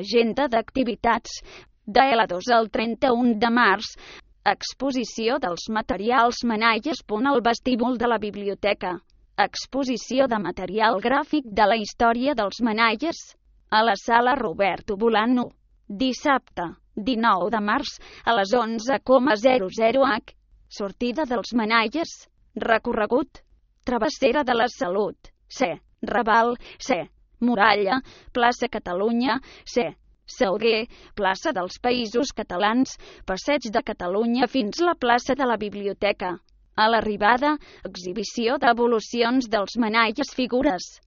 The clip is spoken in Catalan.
Agenda d'activitats. De L2 al 31 de març. Exposició dels materials Manalles. Al vestíbul de la biblioteca. Exposició de material gràfic de la història dels Manalles. A la sala Roberto Bolano. Dissabte, 19 de març, a les 11:00 h. Sortida dels Manalles. Recorregut. Travessera de la Salut. C. Raval. C. Muralla. Plaça Catalunya. C. Salguer. Plaça dels Països Catalans. Passeig de Catalunya fins la plaça de la Biblioteca. A l'arribada, exhibició d'evolucions dels Manalles figures.